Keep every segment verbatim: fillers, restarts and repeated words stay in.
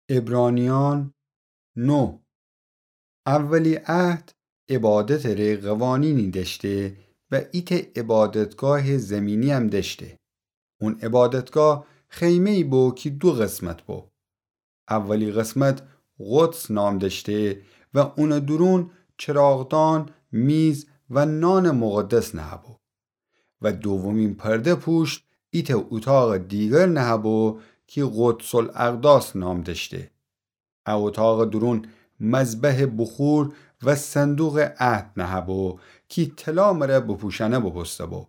عبرانیان نه. اولی عهد عبادتٚ ره قوانینی دأشته و ایتأ عبادتگاهٚ زیمینی‌یم دأشته. اون عبادتگاه خیمه‌یی بو کی دو قسمت بو. اولی قسمت قدس نام دأشته و اونٚ دورون چراغدان، میز و نانٚ مقدس نهه‌بو. و دومین پرده پوشت ایتأ اوتاقٚ دیگر نهه‌بو کی قدس الاقداس نام دأشته. ا اوتاقٚ دورون مذبحٚ بخور و صندوقٚ عهد نهه‌بو کی طلا مره بپوشأنه بوبوسته‌بو.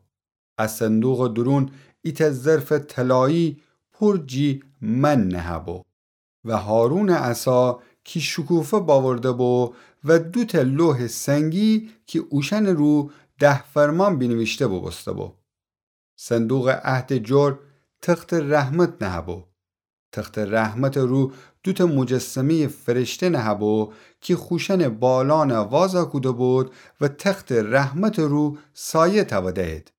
ا صندوقٚ دورون ایتأ ظرفٚ طلایی پور جی من نهه‌بو و هارونٚ عصا کی شکوفه باورده‌بو و دوتأ لوحٚ سنگی کی اوشأنٚ رو ده فرمان بینیویشته بوبوسته‌بو. صندوقٚ عهدٚ جور تختٚ رحمت نهه‌بو. تختٚ رحمتٚ رو دوتأ مجسمه‌یٚ فرشته نهه‌بو کی خوشأنٚ بالأنَ وازَ کوده‌بود و تختٚ رحمتٚ رو سایه تأوده‌ید.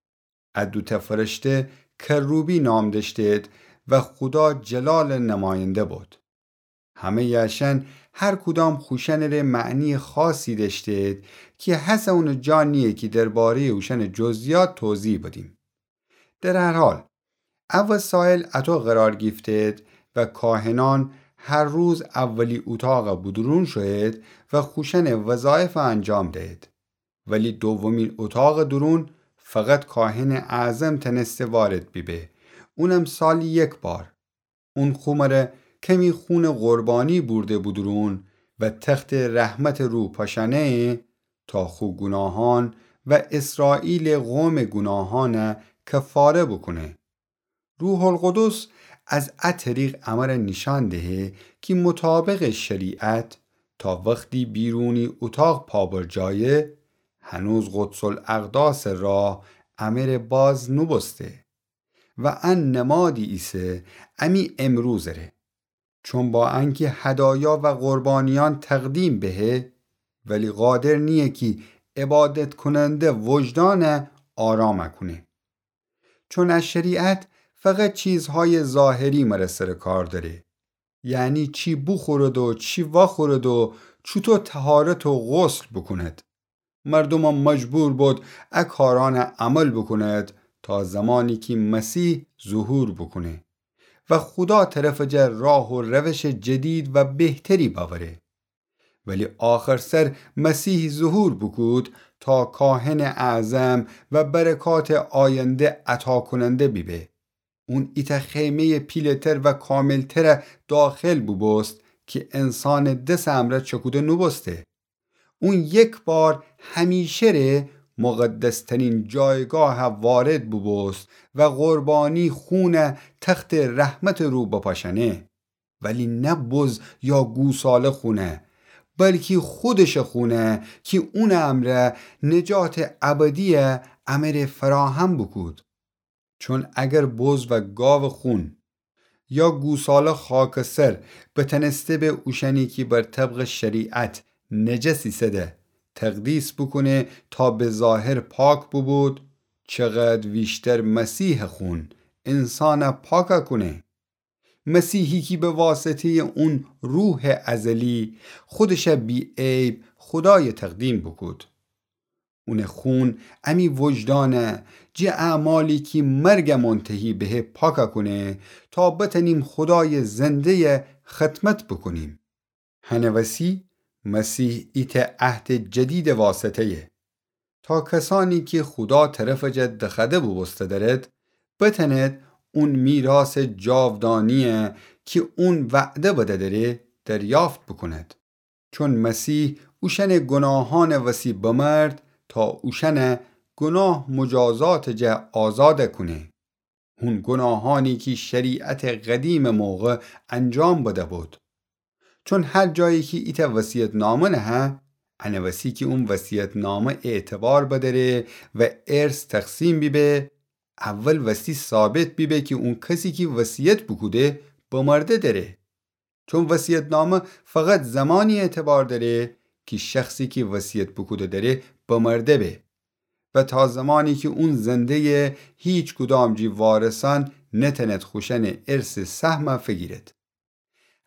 ا دوتأ فرشته کروبی نام دأشته‌د و خودا جلالٚ نماینده بود. همه‌یٚ اشأن هر کدام خوشأنٚ ره معنیٚ خاصی دأشته‌د کی هسه اونٚ جا نییه کی درباره‌یٚ اوشأنٚ جزئیات توضیح بدیم. در هر حال، ا وسایل اطو قرار گیفته‌د و کاهنأن هر روز اولی اوتاقٚ بودورون شویید و خوشأنٚ وظایفَ انجام دهید. ولی دومین اوتاقٚ دورون فقط کاهنٚ اعظم تنسته وارد بیبه، اونم سالی یک بار. اون خو مره کمی خونٚ قربانی بورده بودورون و تختٚ رحمتٚ رو پاشأنه تا خو گوناهأن و اسرائیلٚ قومٚ گوناهأنَ کفاره بوکونه. روح‌القدس از ا طریق امره نیشأن دهه کی مطابقٚ شریعت تا وختی بیرونی اوتاق پا بر جایه، هنوز قدس الاقداسٚ راه امره باز نوبوسته. و ان نمادی ایسه امی امروزٚ ره. چون با انکی هدایا و قربانیأن تقدیم بهه، ولی قادر نییه کی عبادت کوننده وجدانَ آرام کونه. چون ا شریعت فقط چیزهایٚ ظاهری مره سر کار دأره، یعنی چی بوخورد و چی واخورد و چوطو طهارت و غسل بوکوند. مردومَ مجبور بود ا کارأنَ عمل بوکوند تا زمانی کی مسیح ظهور بوکونه و خودا طرفٚ جا راه و روشٚ جدید و بهتری بأوره. ولی آخر سر مسیح ظهور بوکود تا کاهنٚ اعظم و برکاتٚ آینده عطا کوننده بیبه. اون ایتأ خیمه‌یٚ پیله‌تر و کاملترَ داخل بوبوست کی انسانٚ دسٚ امرأ چکوده نوبوسته. اون یک بار همیشه ره مقدس‌ترین جایگاهَ وارد بوبوست و قربانی خونَ تختٚ رحمتٚ رو بپاشأنه. ولی نه بز یا گوساله خونَ، بلکی خودشٚ خونَ کی اونٚ امرأ نجاتٚ ابدیَ امره فراهم بوکود. چون اگر بز و گاوٚ خون یا گوساله خاکٚ سر بتنسته به اوشأنی کی بر طبقٚ شریعت نجس ایسده تقدیس بوکونه تا به ظاهر پاک بوبود، چقدر ویشتر مسیحٚ خون انسانَ پاکَ کونه. مسیحی کی به واسطه‌یٚ اون روحٚ ازلی خودشَ بی‌عیب خودایَ تقدیم بوکود. اونٚ خون امی وجدانَ جٚه اعمالی کی مرگَ منتهی بهه پاکَ کونه تا بتأنیم خودایٚ زنده‌یَ خدمت بوکونیم. هنٚ وسی مسیح ایتأ عهدٚ جدیدٚ واسطه‌یه تا کسأنی کی خودا طرفٚ جا دخوأده بوبوسته دأرد، بتأند اون میراثٚ جاودانیَ کی اون وعده بده دأره دریافت بوکوند. چون مسیح اوشأنٚ گوناهأنٚ وسی بمرد تا اوشأنَ گوناه مجازاتٚ جا آزادَ کونه. هون گوناهأنی کی شریعتٚ قدیمٚ موقع انجام بده بود. چون هر جایی کی ایتأ وصیت‌نامه نهه، انٚ وسی کی اون وصیت‌نامه اعتبار بدأره و ارث تقسیم بیبه، اول وسی ثابت بیبه کی اون کسی کی وصیت بوکوده بمرده دأره. چون وصیت‌نامه فقط زمانی اعتبار دأره کی شخصی کی وصیت بوکوده دأره بمرده به و تا زمانی کی اون زنده‌یه، هیچ کدام جٚه وارثأن نتأند خوشأنٚ ارثٚ سهمَ فیگیرد.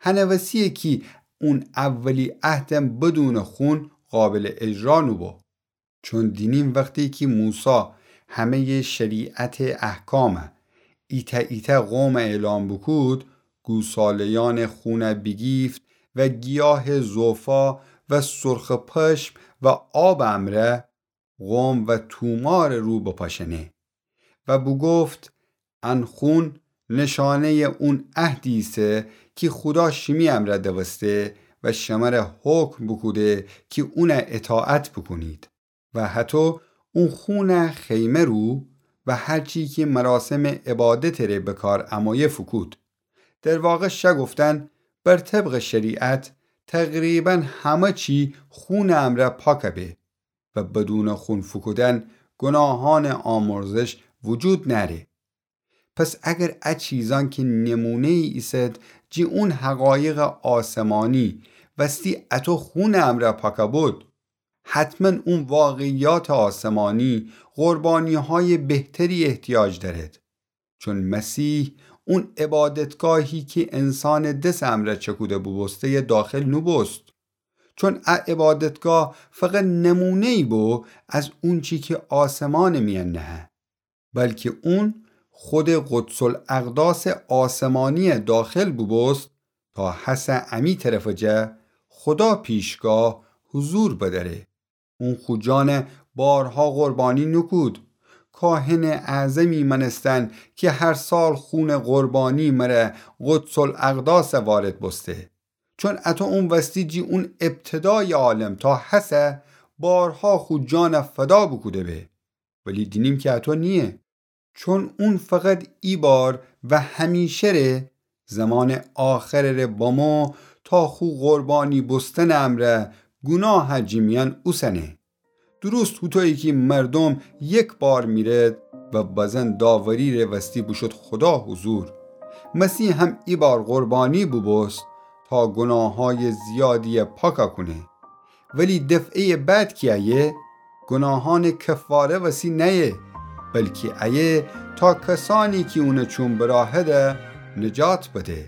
هنه وسیه کی اون اولی عهدم بدونٚ خون قابلٚ اجرا نوبو. چون دینیم وختی کی موسی همه‌یٚ شریعتٚ احکام ایتأ ایتأ قوم اعلام بوکود، گوساله‌یأنٚ خون بیگیفت و گیاهٚ زوفا و سرخٚ پشم و آبٚ امرأ قوم و تومارٚ رو بپاشأنه و بوگفت: ان خون نشانه‌یٚ اون عهدی ایسه کی خودا شیمی امرأ دوسته و شمره حکم بوکوده کی اون اطاعت بوکونید. و هطو اون خون خیمه رو و هر چی کی مراسمٚ عبادتٚ ره بکار امویه فوکود. در واقع شه گفتن، بر طبقٚ شریعت تقریباً همه چی خونٚ امرأ پاک به و بدونٚ خون فوکودن گناهانٚ آمرزش وجود نأره. پس اگر ا چیزأن کی نمونه‌یی ایسد جی اون حقایقٚ آسمانی وستی اطو خونٚ امرأ پاکَ بود، حتماً اون واقعیاتٚ آسمانی قربانی‌هایٚ بهتری احتیاج دأرد. چون مسیح اون عبادتگاهی کی انسانٚ دسٚ امرأ چکوده بوبوسته داخل نوبوست. چون ا عبادتگاه فقط نمونه‌یی بو از اونچی کی آسمانٚ میأن نهه، بلکی اون خودٚ قدس‌الاقداسٚ آسمانی داخل بوبوست تا هسه امی طرفٚ جا خودا پیشگاه حضور بدأره. اون خو جان بارها قربانی نوکود. کاهنٚ اعظمی مأنستن کی هر سال خونٚ قربانی مره قدس‌الاقداس وارد بوسته. چون اطو اون وستی جی اون ابتدایٚ عالم تا هسه بارها خو جان فدا بوکوده به. ولی دینیم کی اطو نییه. چون اون فقط ایبار و همیشه ره زمانٚ آخرٚ ره بمو تا خو قربانی بوستنٚ امرأ گوناه جی میأن اوسنه. درست هوطویی کی مردوم یک بار میرد و بزن داوری ره وستی بوشود خودا حضور، مسیح هم ایبار قربانی بوبوست تا گوناهایٚ زیادی پاکَ کونه. ولی دفعه‌یٚ بعد کی ایه، گوناهانٚ کفاره وسی نأیه، بلکی ایه تا کسأنی کی اونٚ چوم براهده نجات بده.